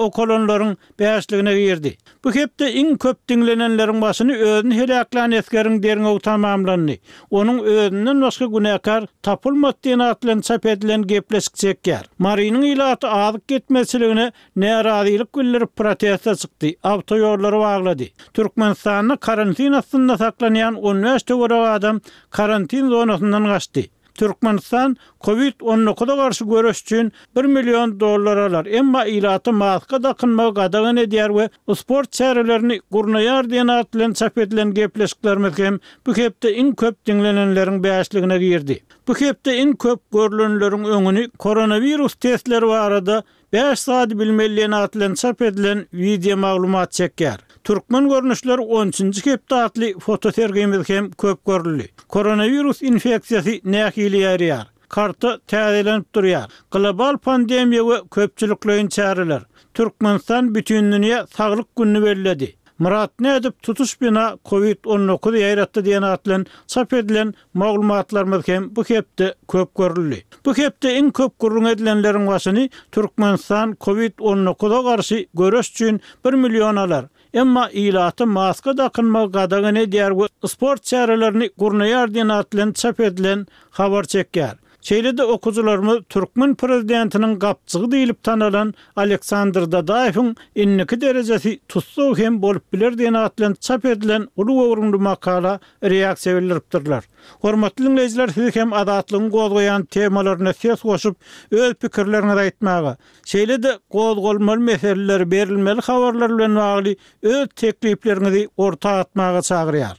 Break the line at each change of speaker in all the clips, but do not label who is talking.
okalanlaryň bäşligine girdi. Bu hepde iň köp diňlenenleriň başyny özüni heläklän esgeriň derňewi tamamlandy. Onuň özünden başga günäkär tapylmady diýen at bilen çap edilen gepleşik çekýär. Marynyň ilaty azyk ýetmezçiligine närazylyk bildirip proteste çykdy, awtoýollary baglady. Türkmenistanda karantin astynda saklanýan 15 töweregi adam karantin zonasyndan gaçdy. Türkmenistan Covid 19-a garşy göreş üçin bir million dollar alar, emma ilata maska dakynmagy gadagan edýär we sport çärelerini gurnaýar diýen at bilen çap edilen gepleşiklerimiz hem bu hepde iň köp diňlenenleriň bäşligine girdi. Bu hepde iň köp görlenleriň öňüni koronawirus testleri barada Bäş zady bilmeli diýen at bilen çap edilen wideo maglumat çekýär. Türkmen görnüşleri on üçünji hepde atly fotosergimiz hem köp görüldi. Koronawirus infeksiýasy nähili ýaýraýar? Karta täzelenip durýar. Global pandemiýa we köpçülikleýin çäreler. Türkmenistan Bütindünýä saglyk gününi belledi. Myrat nädip tutuş bina Covid 19 ýaýratdy diýen at bilen çap edilen maglumatlarymyz hem bu hepde köp görüldi. Bu hepde iň köp gürrüň edilenleriň başyny Türkmenistan Covid 19-a garşy göreş üçin bir million alar, emma ilata maska dakynmagy gadagan edýär we sport çärelerini gurnaýar diýen at bilen çap edilen habar çekýär. Şeýle-de okyjylarymyz türkmen prezidentiniň gapjygy diýlip tanalan Aleksandr Dadaýewiň indiki derejesi tussag hem bolup biler diýen at bilen çap edilen uly göwrümli makala reaksiýa bildiripdirler. Hormatly diňleýjiler siz hem Azatlygyň gozgaýan temalaryna ses goşup, öz pikirleriňizi aýtmaga, şeýle-de gozgalmaly meseleler, berilmeli habarlar bilen bagly öz teklipleriňizi orta atmaga çagyrýar.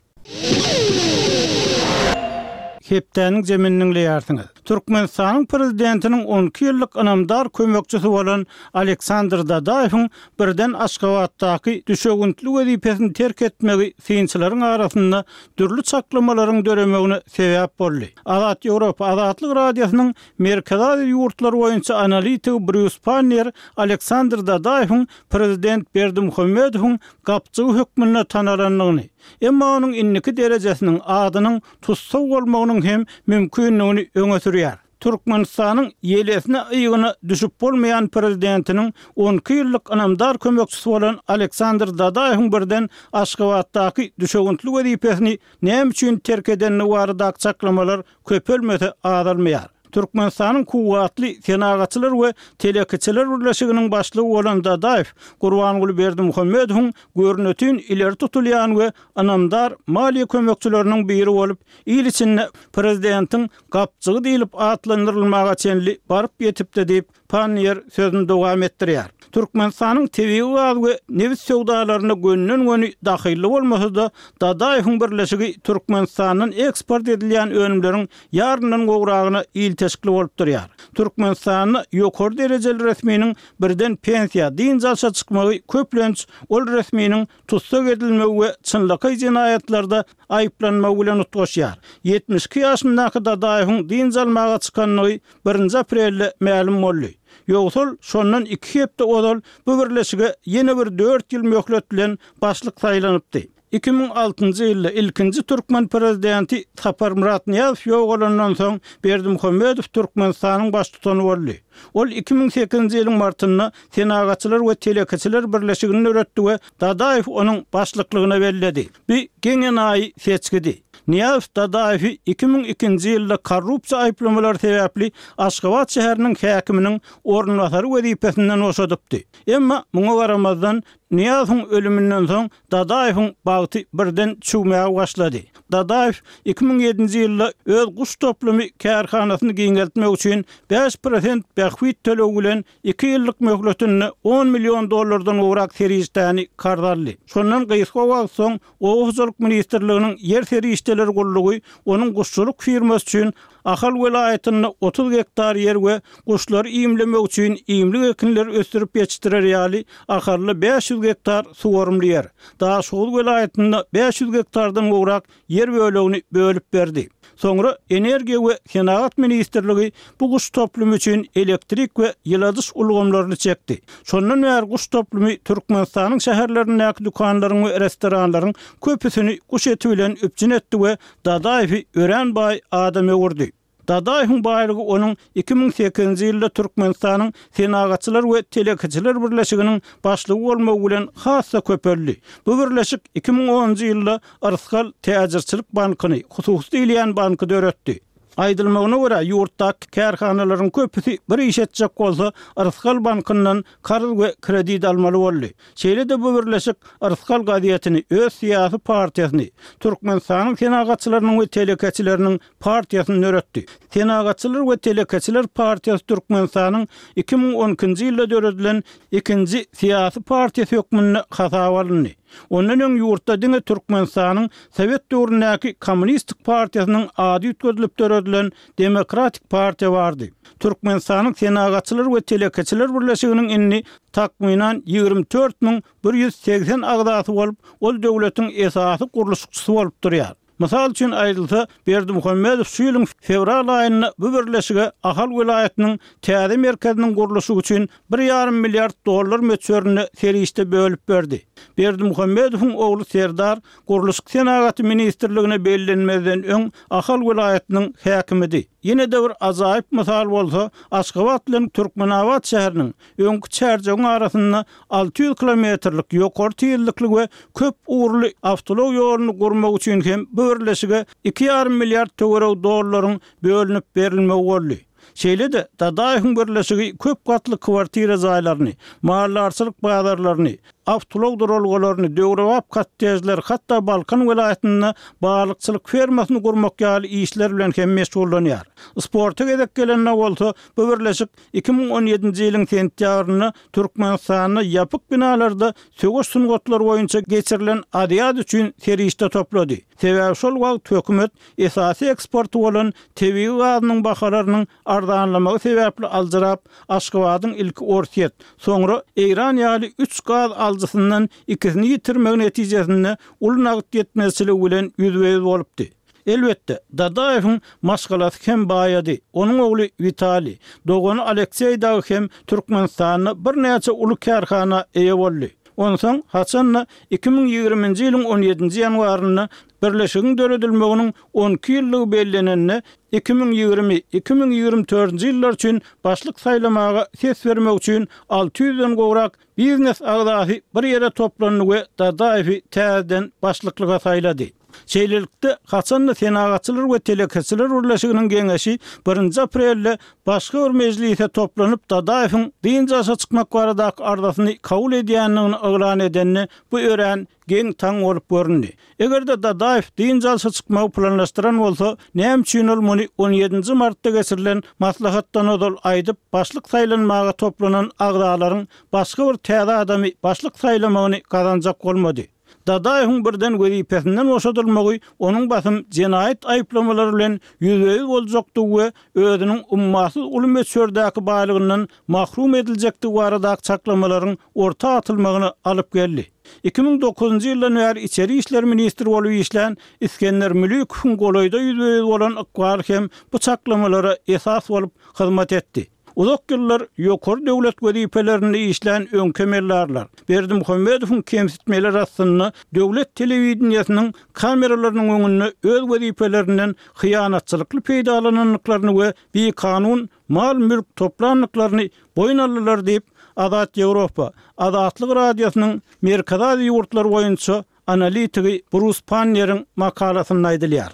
Hepdäniň jemini diňleýärsiňiz. Türkmenistanyň Prezidentiniň 12 ýyllyk ynamdar kömekçisi bolan Aleksandr Dadaýewiň birden Aşgabatdaky düşewüntli wezipesini terk etmegi synçylaryň arasynda dürli çaklamalaryň döremegine sebäp boldy. Azat Ýewropa Azatlyk Radiosynyň Merkezi Aziýa ýurtlary boýunça analitigi Brýus Panniýer Aleksandr Dadaýewiň prezident Berdimuhamedowyň gapjygy hökmünde tanalandygyny, emma onuň indiki derejesiniň, adynyň tussag bolmagynyň hem mümkindigini öňe sürýär. Türkmenistanyň ýelesine-ygyna düşüp bolmaýan prezidentiniň 12 ýyllyk ynamdar kömekçisi bolan Aleksandr Dadaýewiň birden Aşgabatdaky düşewüntli wezipesini näme üçin terk edendigi baradaky çaklamalar köpelmese azalmaýar. Türkmenistanyň Kuwwatly senagatçylar we telekeçiler birleşiginiň başlygy bolan Dadaýew Gurbanguly Berdimuhamedowyň görnetin ileri tutulýan we ynamdar maliýe kömekçileriniň biri bolup, il içinde prezidentiň gapjygy diýlip atlandyrylmaga çenli baryp ýetipdi diýip, Panniýer sözüni dowam etdirýär. Türkmenistanyň tebigy gaz we nebit söwdalaryna gönden-göni dahylly bolmasa-da, Dadaýewiň birleşigi Türkmenistandan eksport edilýän önümleriň ýaryndan gowragyna ilteşikli bolup durýar. Türkmenistanda ýokary derejeli resminiň birden pensiýa, dynç alşa çykmagy köplenç ol resminiň tussag edilmegi we çynlakaý jenaýatlarda aýyplanmagy bilen utgaşýar. 72 ýaşyndaky Dadaýewiň dynç almaga çykandygy birinji aprelde mälim boldy. Ýogsa ol şondan iki hepde ozal bu birleşige ýene bir dört ýyl möhlet bilen başlyk saýlanypdy. 2006-njy ýylda ilkinji türkmen prezidenti Saparmyrat Nyýazow ýogalandan soň Berdimuhamedow Türkmenistanyň baştutany boldy. Ol 2008-nji ýylyň martynda Senagatçylar we telekeçiler birleşigini döretdi we Dadaýewi onuň başlyklygyna belledi. Bu geň-enaýy seçgidi. Nyýazow Dadaýewi 2002-nji ýylda korrupsiýa aýyplamalary sebäpli Aşgabat şäheriniň häkiminiň orunbasary wezipesinden boşadypdy. Emma muňa garamazdan, Nyýazowyň ölüminden soň Dadaýewiň bagty birden çüwmäge başlady. Dadaýew 2007-nji ýylda öz guş toplumy kärhanasyny giňeltmek üçin 5% bähbit tölegi bilen iki ýyllyk möhletinde on million dollardan gowrak serişdäni karz aldy. Şondan gysga wagt soň Oba hojalyk ministrliginiň Ýer serişdeleri gullugy onuň guşçulyk firmasy üçin Ahal welaýatynda 30 gektar ýer we guşlary iýmlemek üçin iýmlik ekinleri ösdürip ýetişdirer ýaly Ahalda 500 gektar suwarymly ýer, Daşoguz welaýatynda 500 gektardan gowrak ýer bölegini bölüp berdi. Soňra Energiýa we senagat ministrligi bu guş toplumy üçin elektrik we ýyladyş ulgamlaryny çekdi. Şondan bäri guş toplumy Türkmenistanyň şäherlerindäki dükanlaryň we restoranlaryň köpüsini guş eti bilen üpjün etdi we Dadaýewi örän baý adam öwürdi. Dadaýewiň baýlygy onuň 2008-nji ýylda Türkmenistanyň Senagatçylar we telekeçiler birleşiginiň başlygy bolmagy bilen has-da köpeldi. Bu birleşik 2010-njy ýylda Yrsgal täjirçilik bankyny, hususy diýilýän banky döretdi. Aýdylmagyna görä, ýurtdaky kärhanalaryň köpüsi bir iş etjek bolsa, Yrsgal bankyndan karz we kredit almaly boldy. Şeýle-de bu birleşik Yrsgal gazetini, öz syýasy partiýasyny, Türkmenistanyň Senagatçylarynyň we telekeçileriniň partiýasyny döretdi. Senagatçylar we telekeçiler partiýasy Türkmenistanyň 2012-nji ýylda döredilen ikinji syýasy partiýasy hökmünde hasaba alyndy. Ondan öň ýurtda diňe Türkmenistanyň sowet döwründäki Kommunistik partiýasynyň ady üýtgedilip döredilen Demokratik partiýa bardy. Türkmenistanyň Senagatçylar we telekeçiler birleşiginiň indi takmynan 24 180 agzasy bolup, ol döwletiň esasy gurluşykçysy bolup durýar. Mysal üçin aýdylsa, Berdimuhamedow şu ýylyň fewral aýynda bu birleşige Ahal welaýatynyň täze merkeziniň gurluşygy üçin bir ýarym milliard dollar möçberinde serişde bölüp berdi. Berdimuhamedowyň ogly Serdar Gurluşyk senagaty ministrligine bellenmezden öň Ahal welaýatynyň häkimidi. Ýene-de bir ajaýyp mysal bolsa, Aşgabat bilen Türkmenabat şäheriniň, öňki Çärjewiň arasynda 600 kilometrlik ýokary tizlikli we köp ugurly awtoulag ýoluny gurmak üçin hem bu birleşige iki ýarym milliard töweregi dollaryň bölünip berilmegi boldy. Şeýle-de, Dadaýewiň birleşigi köp gatly kwartira jaýlaryny, maldarçylyk bazarlaryny, awtoulag duralgalaryny, döwrebap kottejleri, hatda Balkan welaýatynda balykçylyk fermasyny gurmak ýaly işler bilen hem meşgullanýar. Sporta gezek gelende bolsa, bu birleşik 2017-nji ýylyň sentýabrynda Türkmenistanda ýapyk binalarda söweş sungatlary boýunça geçirilen Aziada üçin serişde toplady. Sebäbi şol wagt hökümet esasy eksporty bolan tebigy gazynyň bahalarynyň arzanlamagy sebäpli aljyrap, Aşgabadyň ilki Orsýet, soňra Eýran ýaly üç gaz alyjysyndan ikisini ýitirmegi netijesinde uly nagt ýetmezçiligi bilen ýüzbe-ýüz bolupdy. Elbetde, Dadaýewiň maşgalasy hem baýady. Onuň ogly Witaliý, dogany Alekseý dagy hem Türkmenistanda birnäçe uly kärhana eýe boldy. Onsoň, haçan-da, 2020-nji ýylyň on ýedinji ýanwarynda Birleşigiň döredilmeginiň on iki ýyllygy bellenende, 2020, 2024-nji ýyllar üçin başlyk saýlamaga ses bermek üçin alty ýüzden gowrak biznes agzasy bir ýere toplandy we Dadaýewi täzeden başlyklyga saýlady. Şeýlelikde, haçan-da Senagatçylar we telekeçiler birleşiginiň geňeşi birinji aprelde başga bir mejlise toplanyp, Dadaýewiň dynç alşa çykmak baradaky arzasyny kabul edýändigini yglan edende, bu örän geň-taň bolup göründi. Eger-de Dadaýew dynç alşa çykmagy planlaşdyran bolsa, näme üçin ol muny on ýedinji martda geçirilen maslahatdan ozal aýdyp, başlyk saýlanmaga toplanan agzalaryň başga bir täze adamy başlyk saýlamagyny gazanjak bolmady? Dadaýewiň birden wezipesinden boşadylmagy onuň basym jenaýat aýyplamalary bilen ýüzbe-ýüz boljakdygy we özüniň ummasyz uly möçberdäki baýlygyndan mahrum ediljekdigi baradaky çaklamalaryň orta atylmagyna alyp geldi. 2009-njy ýyldan bäri içeri işler ministri bolup işlän Isgender Mülükowyň golaýda ýüzbe-ýüz bolan ykbaly hem bu çaklamalara esas bolup hyzmat etdi. Uzak ýyllar ýokary döwlet wezipelerinde işlän öňki emeldarlar, Berdimuhamedowyň kemsitmeleri astynda döwlet telewideniýesiniň kameralarynyň öňünde öz wezipelerinden hyýanatçylykly peýdalanandyklaryny we bikanun mal-mülk toplandyklaryny boýun aldylar diýip, Azat Ýewropa, Azatlyk Radiosynyň Merkezi Aziýa ýurtlary boýunça analitigi Brus Panneriň makalasynda aýdylýar.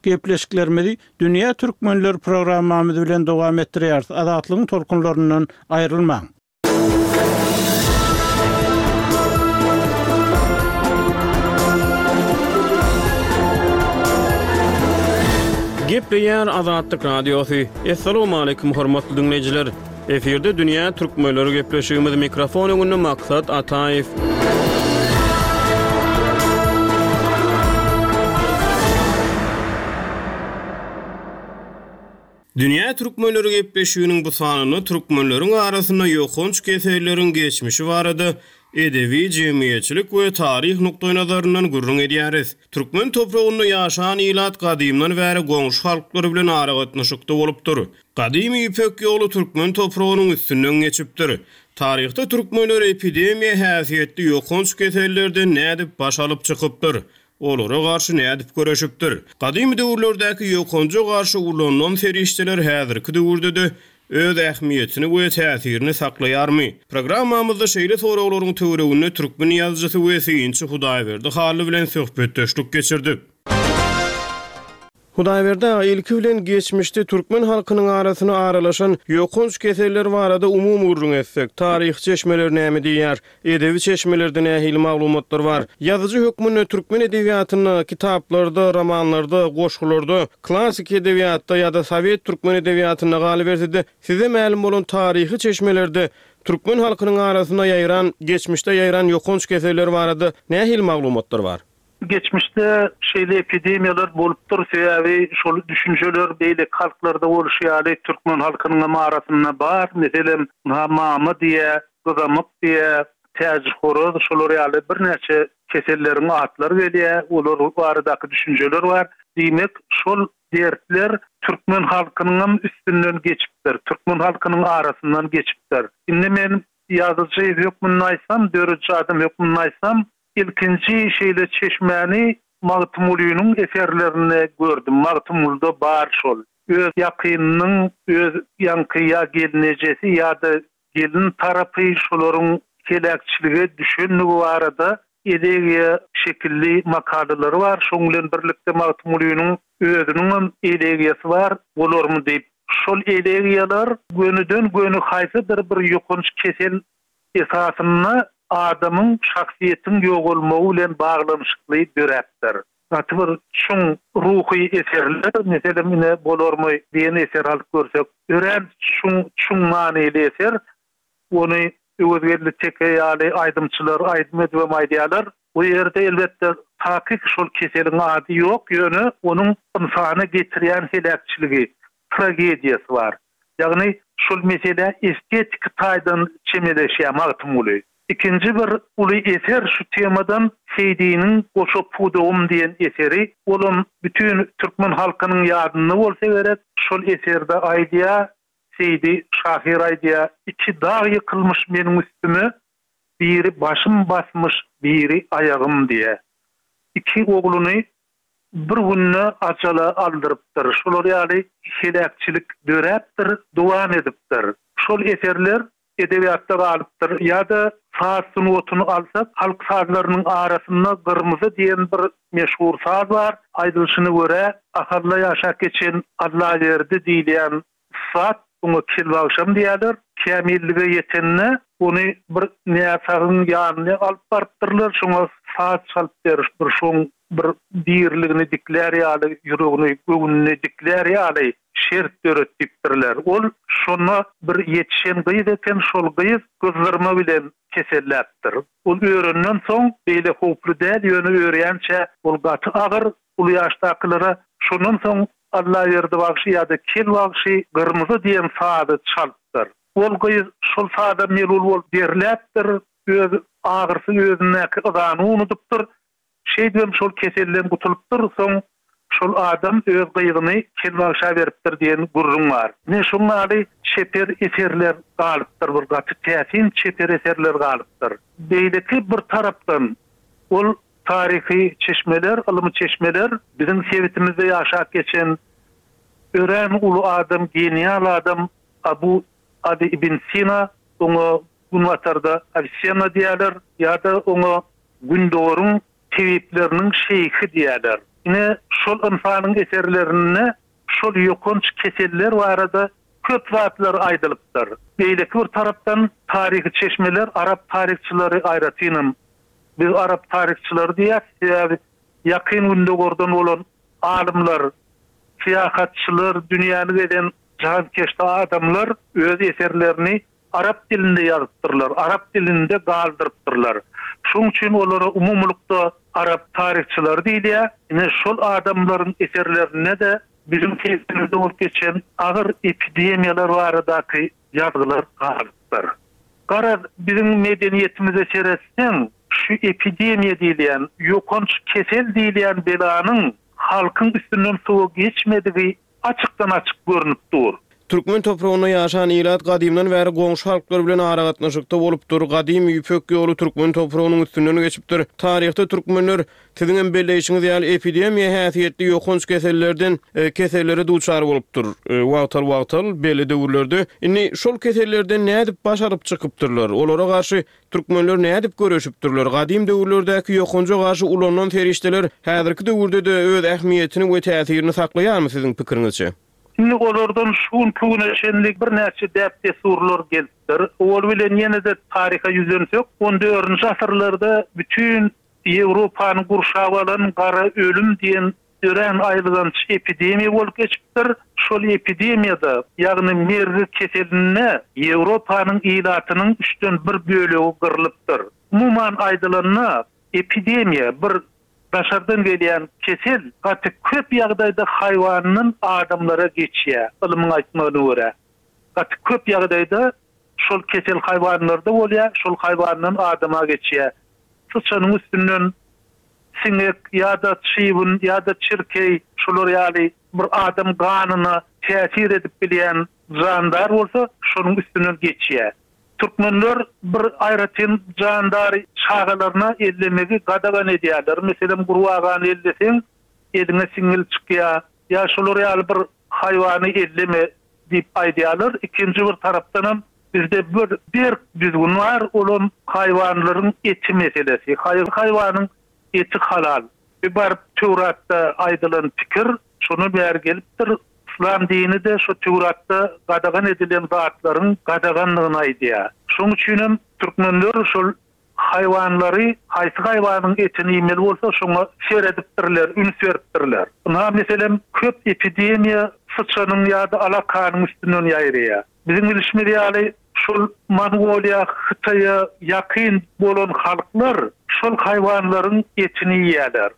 Gepleşiklerimizi Dünýä Türkmenleri programmamyz bilen dowam etdirýäris. Azatlygyň tolkunlaryndan aýrylmaň!
Gepleýär Azatlyk Radiosy. Assalamualaikum hormatly diňleýjiler. Efirde dünýä türkmenleri gepleşigimiz mikrofon öňünde Maksat Ataýew. Dünýä türkmenleri gepleşiginiň bu sanynda türkmenleriň arasynda ýokanç keselleriň geçmişi barada edebi, jemgyýetçilik we taryh nukdaýnazaryndan gürrüň edýäris. Türkmen topragynda ýaşan ilat gadymdan bäri goňşy halklar bilen aragatnaşykda bolupdyr. Gadymy Ýüpek ýoly türkmen topragynyň üstünden geçipdir. Taryhda türkmenler epidemiýa häsiýetli ýokanç kesellerden nädip baş alyp çykypdyr? Olara garşy nädip göreşipdir? Gadymy döwürlerdäki ýokanja garşy ulanylan serişdeler häzirki döwürde-de öz ähmiýetini we täsirini saklaýarmy? Programmamyzda şeýle soraglaryň töwereginde türkmen ýazyjysy we synçy Hudaýberdi Hally bilen söhbetdeşlik geçirdik. Hudaýberdi aga, ilki bilen geçmişde türkmen halkynyň arasyna aralaşan ýokanç keseller barada umumy gürrüň etsek, taryhy çeşmeler näme diýýär? Edebi çeşmelerde nähili maglumatlar bar? Ýazyjy hökmünde türkmen edebiýatynda, kitaplarda, romanlarda, goşgularda, klassyky edebiýatda ýa-da sowet türkmen edebiýatynda galyberse-de, size mälim bolan taryhy çeşmelerde türkmen halkynyň arasynda ýaýran, geçmişde ýaýran ýokanç keseller barada nähili maglumatlar bar?
Geçmişde şeýle epidemiýalar bolupdyr, sebäbi şol düşünjeler beýleki halklarda bolşy ýaly türkmen halkynyňam arasynda bar. Meselem, ynha mama diýýär, gyzamyk diýýär, täjihoraz şolar ýaly birnäçe keselleriň atlary gelýär, olar baradaky düşünjeler bar. Diýmek, şol dertler türkmen halkynyňam üstünden geçipdir, türkmen halkynyň arasyndan geçipdir. Indi men ýazyjy hökmünde aýtsam, dörediji adam hökmünde aýtsam, Ilkinji şeýle çeşmäni Magtymgulynyň eserlerinde gördüm. Magtymgulyda bar şol. Öz ýakynynyň, öz ýaňky ýa gelnejesi ýa-da gelin tarapy şolaryň heläkçilige düşenligi barada elegiýa şekilli makalalary bar. Şoň bilen birlikde Magtymgulynyň özüniňem elegiýasy bar, bolarmy diýip. Şol elegiýalar gönüden-göni haýsydyr bir ýokanç kesel esasynda adamyň, şahsyýetiň ýogalmagy bilen baglanyşykly döräpdir. Gaty bir çuň ruhy eserler, meselem, ine, Bolarmy diýen eseri alyp görsek, örän çuň, çuň manyly eser. Ony Öwezgeldi Teke ýaly aýdymçylar aýdym edibem aýdýarlar. Bu ýerde, elbetde, takyk şol keseliň ady ýok, ýöne onuň ynsana getirýän heläkçiligi, tragediýasy bar. Ýagny şol meselä estetiki taýdan çemeleşýär Magtymguly. Ikinji bir uly eser şu temadan Seýdiniň Goşa pudagym diýen eseri. Olam bütin türkmen halkynyň ýadynda bolsa gerek. Şol eserde aýdýar, Seýdi şahyr aýdýar, Iki dag ýykylmyş meniň üstüme, biri başym basmyş, biri aýagym diýýär. Iki ogluny bir günde ajala aldyrypdyr. Şolar ýaly heläkçilik döräpdir, dowam edipdir. Şol eserler edebiýatda galypdyr. Ýa-da saz sungatyny alsak, halk sazlarynyň arasynda Gyrmyzy diýen bir meşhur saz bar. Aýdylyşyna görä, Ahalda ýaşap geçen Allaberdi diýilýän ussat, oňa Kelbagşam diýýärler, kämillige ýetende ony bir näsagyň ýanyna alyp barypdyrlar, şoňa saz çalyp ber, bir şoň bir diriligini diklär ýaly, ýüregini, göwnüni diklär ýaly şert döret diýipdirler. Ol şonda bir ýetişen gyz eken, şol gyz gyzdyrma bilen keselläpdir. Ol örenden soň beýle howply däl, ýöne örýänçä ol gaty agyr, uly ýaşdakylara şondan soň Allaberdi bagşy ýa-da Kel bagşy Gyrmyzy diýen sazy çalypdyr. Ol gyz şol saza melul bolup derläpdir, öz agyrsy özündäki yzany unudypdyr. Şeýdibem şol keselden gutulypdyr, soň şol adam öz gyzyny Kel bagşa beripdir diýen gürrüň bar. Ine şoň ýaly çeper eserler galypdyr, bir gaty täsin çeper eserler galypdyr. Beýleki bir tarapdan ol Taryhy çeşmeler, ylmy çeşmeler biziň sebitimizde ýaşap geçen örän uly adam, genial adam Abu Aly ibn Sina, oňa Günbatarda Awisenna diýýärler ýa-da oňa Gündogaryň tebipleriniň şeýhi diýýärler. Ine, şol ynsanyň eserlerinde şol ýokanç keseller barada köp zatlar aýdylypdyr. Beýleki bir tarapdan taryhy çeşmeler, arap taryhçylary aýratynam Biz arap taryhçylary diýýäs, sebäbi Ýakyn Gündogardan bolan alymlar, syýahatçylar, dünýäni gezen jahankeşde adamlar öz eserlerini arap dilinde ýazypdyrlar, arap dilinde galdyrypdyrlar. Şonuň üçin olara umumylykda arap taryhçylary diýilýär. Ine, şol adamlaryň eserlerinde-de biziň sebitimizde bolup geçen agyr epidemiýalar baradaky ýazgylar galypdyr. Garaz, biziň medeniýetimize seretseň, şu epidemiýa diýilýän, ýokanç kesel diýilýän belanyň halkyň üstünden sowa geçmedigi açykdan-açyk görnüp dur.
Türkmen topragynda ýaşan ilat gadymdan bäri goňşy halklar bilen aragatnaşykda bolupdyr. Gadymy Ýüpek ýoly türkmen topragynyň üstünden geçipdir. Taryhda türkmenler, siziňem belleýşiňiz ýaly, epidemiýa häsiýetli ýokanç kesellerden kesellere duçar bolupdyr. Wagtal-wagtal, belli döwürlerde. Indi şol kesellerden nädip baş alyp çykypdyrlar? Olara garşy Türkmenler nädip göreşipdirler? Gadym döwürlerdäki ýokanja garşy ulanylan serişdeler häzirki döwürde-de öz ähmiýetini we täsirini saklaýarmy siziň pikiriňizçe?
Indi olardan şu günki güne çenli birnäçe däp-dessurlar gelipdir. Owal bilen ýene-de taryha ýüzlensek, on dördünji asyrlarda bütin Ýewropany gurşap alan gara ölüm diýen örän aýylganç epidemiýa bolup geçipdir. Şol epidemiýada, ýagny mergi keselinde Ýewropanyň ilatynyň üçden bir bölegi gyrlypdyr. Umuman aýdylanda, epidemiýa bir daşardan gelýän kesel gaty köp ýagdaýda haýwandan adamlara geçýär, ylmyň aýtmagyna görä. Gaty köp ýagdaýda şol kesel haýwanlarda bolýar, şol haýwandan adama geçýär. Syçanyň üstünden siňek ýa-da çybyn ýa-da çirkeý şular ýaly bir adam ganyna täsir edip bilýän jandar bolsa şonuň üstünden geçýär. Türkmenler bir aýratyn jandary çagalaryna ellemegi gadagan edýärler. Meselem gurbagany elleseň eliňe siňňil çykýar ýa şular ýaly bir haýwany elleme diýip aýdýarlar. Ikinji bir tarapdanam bizde bir berk düzgün bar, olam haýwanlaryň eti meselesi. Haýsy haýwanyň eti halal? Bir baryp Töwratda aýdylan pikir şondan bäri gelipdir. Yslam dini-de şo Töwratda gadagan edilen zatlaryň gadagandygyny aýdýar. Şoň üçinem türkmenler şol Haýwanlary, haýsy haýwanyň etini iýmeli bolsa, şoňa seredipdirler, üns beripdirler. Ynha, meselem, köp epidemiýa syçanyň ýa-da alakanyň üstünden ýaýraýar. Biziň bilşimiz ýaly, şol Mongoliýa, Hytaýa ýakyn bolan halklar şol haýwanlaryň etini iýýärler.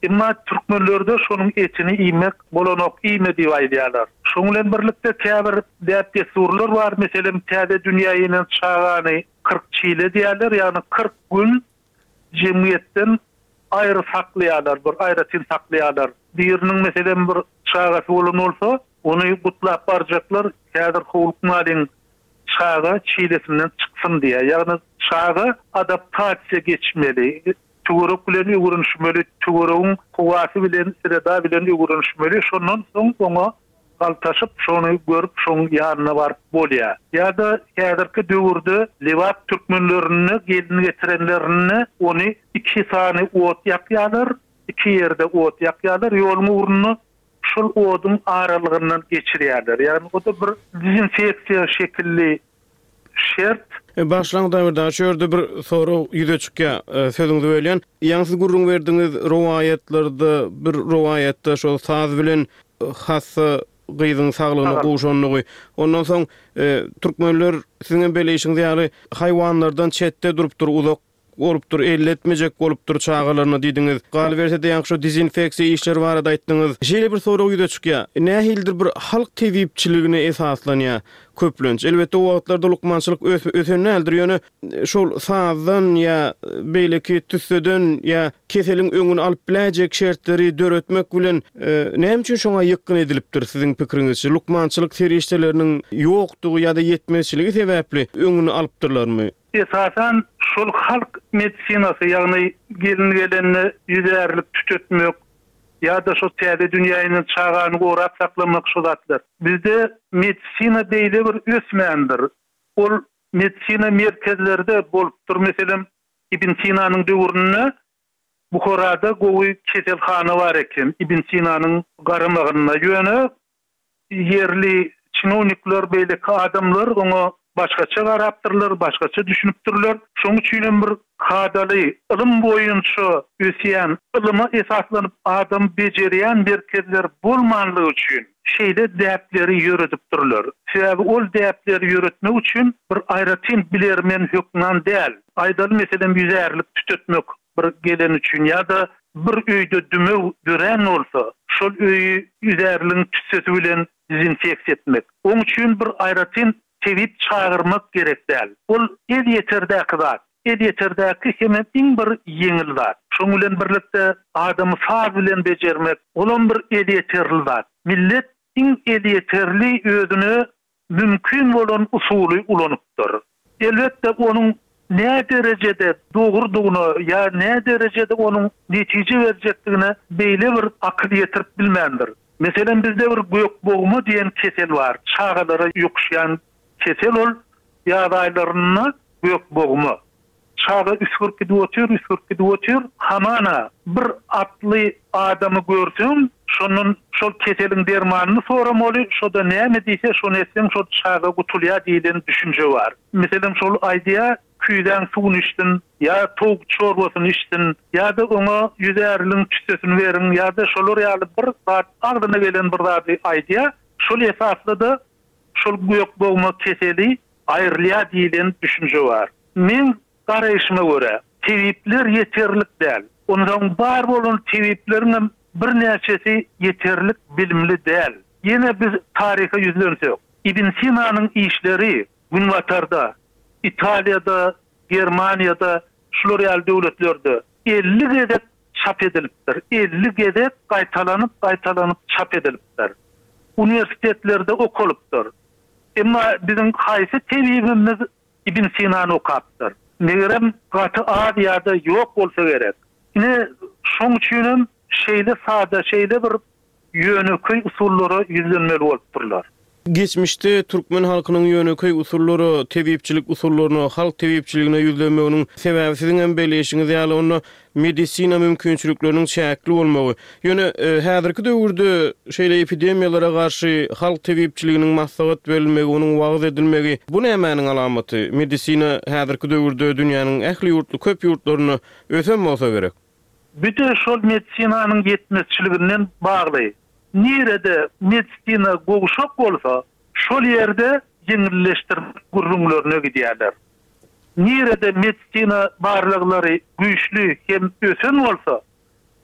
Emma türkmenlerde şonuň etini iýmek bolanok, iýme diýip aýdýarlar. Şonuň bilen birlikde käbir däp-dessurlar bar, meselem, täze dünýä inen çagany 40 çile diýýärler, ýagny 40 gün jemgyýetden aýry saklaýarlar, bir aýratyn saklaýarlar. Biriniň, meselem, bir çagasy bolan bolsa, ony gutlap barjaklar, häzir howlukmalyň, çaga çilesinden çyksyn diýýär. Ýagny çaga adaptasiýa geçmeli. Töwerek bilen öwrenişmeli, töweregiň howasy bilen, sreda bilen öwrenişmeli, şondan soň oňa galtaşyp, şony görüp, şoň ýanyna baryp bolýar. Ýa-da häzirki döwürde Lebap türkmenlerinde gelin getirenlerinde ony iki sany ot ýakýarlar, iki ýerde ot ýakýarlar ýoluň ugrunda, şol oduň aralygyndan geçirýärler. Ýagny o-da bir dezinfeksiýa şekilli şert.
Bagyşlaň Damirdaş şu ýerde bir sorag ýüze çykýar sözüňizi bölýän. Ýaňy siz gürrüň berdiňiz rowaýatlarda bir rowaýatda şol saz bilen hassa gyzyň saglygyna gowşandygy. Ondan soň türkmenler siziňem belleýşiňiz ýaly haýwanlardan çetde durupdyr uzak Bolupdyr, elletmejek bolupdyr çagalaryna diýdiňiz. Galyberse-de ýaňky şo dezinfeksiýa işleri barada aýtdyňyz. Şeýle bir sorag ýüze çykýar. Nähilidir bir halk tebipçiligine esaslanýar köplenç. Elbetde o wagtlarda lukmançylyk ösen däldir, ýöne şol sazdan ýa beýleki tüsseden ýa keseliň öňüni alyp biläýjek şertleri döretmek bilen näme üçin şoňa ýykgyn edilipdir siziň pikiriňizçe? Lukmançylyk serişdeleriniň ýokdugy ýa-da ýetmezçiligi sebäpli öňüni alypdyrlarmy?
Esasan, şol halk medisinasy, ýagny gelin gelende ýüzärlik tütetmek ýa-da şo täze dünýä inen çagany gorap saklamak şo zatlar. Bizde medisina beýle bir ösmändir. Ol medisina merkezlerde bolupdyr. Meselem, Ibn Sinanyň döwründe Buharada gowy keselhana bar eken, Ibn Sinanyň garamagynda. Ýöne Ýerli çinownikler, beýleki adamlar oňa başgaça garapdyrlar, başgaça düşünipdirler. Şonuň üçin hem bir kadaly, ylym boýunça ösýän, ylyma esaslanyp adam bejerýän merkezler bolmanlygy üçin şeýle däpleri ýöredipdirler. Sebäbi ol däpleri ýöretmek üçin bir aýratyn bilermen hökman däl. Aýdaly, meselem, ýüzärlik tütetmek bir gelen üçin ýa-da bir öýde dümew dörän bolsa, şol öýi üzärligiň tüssesi bilen dezinfeksiýa etmek. Oň üçin bir aýratyn tebip çagyrmak gerek däl. Ol elýeterdäki zat. Elýeterdäki hemem iň bir ýeňil zat. Şoň bilen birlikde adamy saz bilen bejermek, olam bir elýeterli zat. Millet. iň elýeterli özüne mümkin bolan usuly ulanypdyr. Elbetde, onuň näderejede dogrudygyna ýa näderejede onuň netije berjekdigine beýle bir akyl ýetirip bilmändir. Meselem, bizde bir gökbogma diýen kesel bar, çagalara ýokuşýan kesel ol, ýaz aýlarynda gökbogma. Çaga üsgürip gidip otyr, üsgürip gidip otyr. Hamana, bir atly adamy görseň, şondan şol keseliň dermanyny soramaly, şo-da näme diýse, şony etseň, şol çaga gutulýar diýlen düşünje bar. Meselem, şol aýdýar, küýzäň suwuny içsin, ýa towuk çorbasyny içsin, ýa-da oňa ýüzärligiň tüssesini beriň, ýa-da şolar ýaly bir zat, agzyna gelen bir zady aýdýar. Şol esasda-da şol gökbogma keseli aýrylýar diýlen düşünje bar. Meň garaýşyma görä, tebipler ýeterlik däl. Onsoň bar bolan tebipleriňem birnäçesi ýeterlik bilimli däl. Ýene biz taryha ýüzlensek, Ibn Sinanyň işleri Günbatarda, Italiýada, Germaniýada, şular ýaly döwletlerde 50 gezek çap edilipdir. 50 gezek gaýtalanyp-gaýtalanyp çap edilipdir. Uniwersitetlerde okalypdyr. Emma biziň haýsy tebibimiz Ibn Sinany okapdyr? Megerem, gaty az ýa-da ýok bolsa gerek. Ine, şoň üçinem şeýle sada, şeýle bir ýönekeý usullara ýüzlenmeli bolupdyrlar.
Geçmişde türkmen halkynyň ýönekeý usullara, tebipçilik usullaryna, halk tebipçiligine ýüzlenmeginiň sebäbi siziň hem belleýşiňiz ýaly, onda medisina mümkinçilikleriniň çäkli bolmagy. Ýöne häzirki döwürde şeýle epidemiýalara garşy halk tebipçiliginiň maslahat berilmegi, onuň wagyz edilmegi, bu nämäniň alamaty? Medisina häzirki döwürde dünýäniň ähli ýurtly köp ýurtlarynda ösen bolsa gerek.
Bu-da şol medisinanyň ýetmezçiliginden bagly. Nirede medisina gowşak bolsa, şol ýerde ýeňilleşdirmek gürrüňlerine gidýärler. Nirede medisina barlaglary güýçli hem ösen bolsa,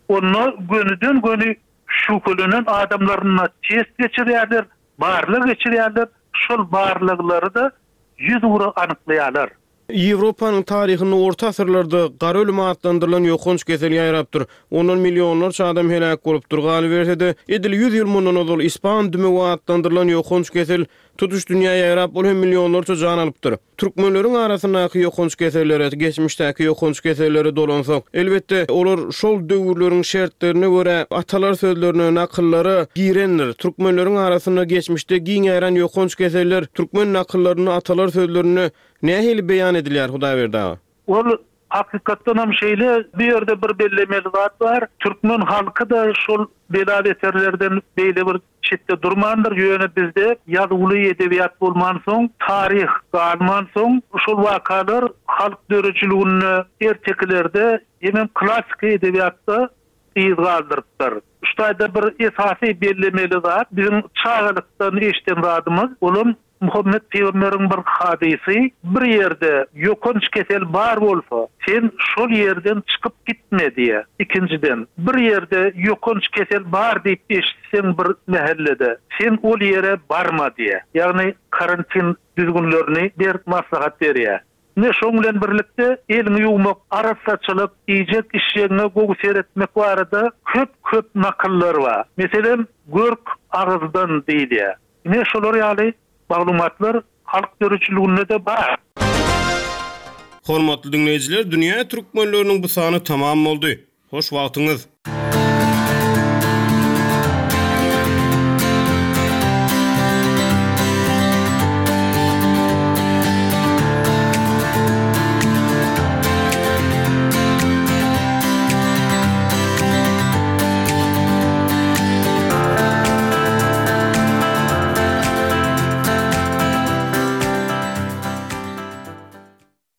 onda gönüden-göni şübhelenen adamlaryna test geçirýärler, barlag geçirýärler, şol barlaglary-da ýüzugra anyklaýarlar.
Ýewropanyň taryhynda orta asyrlarda gara ölüm atlandyrylan ýokanç kesel ýaýrapdyr. Ondan millionlarça adam heläk bolupdyr. Galyberse-de, edil ýüz ýyl mundan ozal ispan dümewi atlandyrylan ýokanç kesel tutuş dünýä ýaýrap, ol hem millionlarça jan alypdyr. Türkmenleriň arasyndaky ýokanç kesellere, geçmişdäki ýokanç kesellere dolansak, elbetde, olar şol döwürleriň şertlerine görä atalar sözlerine, nakyllara girendir. Türkmenleriň arasynda geçmişde giň ýaýran ýokanç keseller türkmen nakyllarynda, atalar sözlerinde nähili beýan edilýär, Hudaýberdi aga?
Ol Hakykatdanam şeýle, bu ýerde bir bellemeli zat bar, türkmen halky-da şol bela-beterlerden beýle bir çetde durmandyr, ýöne bizde ýazuwly edebiýat bolmansoň, taryh galmansoň, şol wakalar halk döredijiliginde, ertekilerde hemem klassyky edebiýatda yz galdyrypdyr. Şu taýda bir esasy bellemeli zat, biziň çagalykdan eşiden zadymyz, olam Muhammet pygamberiň bir hadysy, Bir ýerde ýokanç kesel bar bolsa, sen şol ýerden çykyp gitme diýýär. Ikinjiden, bir ýerde ýokanç kesel bar diýip eşitseň bir mähellede, sen ol ýere barma diýýär. Ýagny karantin düzgünlerini berk maslahat berýär. Ine şoň bilen birlikde eliňi ýuwmak, arassaçylyk, iýjek-içjegiňe gowy seretmek barada köp-köp nakyllar bar. Meselem, Görk agyzdan diýilýär. Ine şolar ýaly maglumatlar halk döredijiliginde-de bar.
Hormatly diňleýjiler, Dünýä türkmenleriniň bu sany tamam boldy. Hoş wagtyňyz!